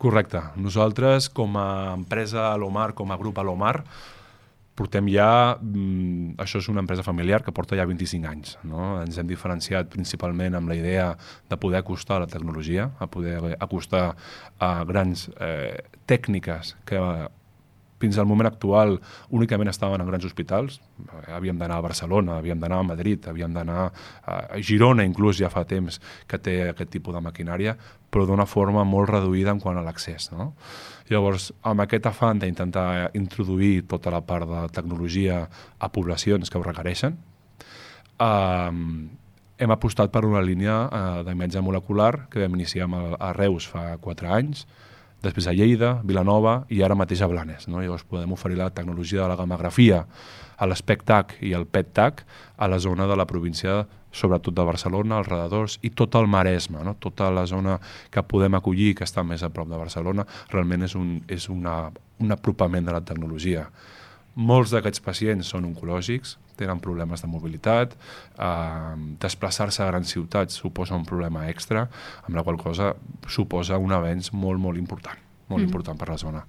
Correcte. Nosaltres, com a empresa Alomar, com a grup Alomar, portem ja... Això és una empresa familiar que porta ja 25 anys. No? Ens hem diferenciat principalment amb la idea de poder acostar a la tecnologia, a poder acostar a grans tècniques que fins al moment actual únicament estaven en grans hospitals. Havíem d'anar a Barcelona, havíem d'anar a Madrid, havíem d'anar a Girona, inclús ja fa temps que té aquest tipus de maquinària, però d'una forma molt reduïda en quant a l'accés. No? Llavors, amb aquest afany d'intentar introduir tota la part de tecnologia a poblacions que ho requereixen, hem apostat per una línia d'imatge molecular que vam iniciar a Reus fa 4 anys, després a Lleida, Vilanova i ara mateix a Blanes. No? Llavors podem oferir la tecnologia de la gammagrafia, a l'SPECTAC i el PET-TAC a la zona de la província, sobretot de Barcelona, als redadors i tot el Maresme, no? Tota la zona que podem acollir, que està més a prop de Barcelona, realment és un apropament de la tecnologia. Molts d'aquests pacients són oncològics, tenen problemes de mobilitat, desplaçar-se a grans ciutats suposa un problema extra, amb la qual cosa suposa un avenç molt, molt important per la zona.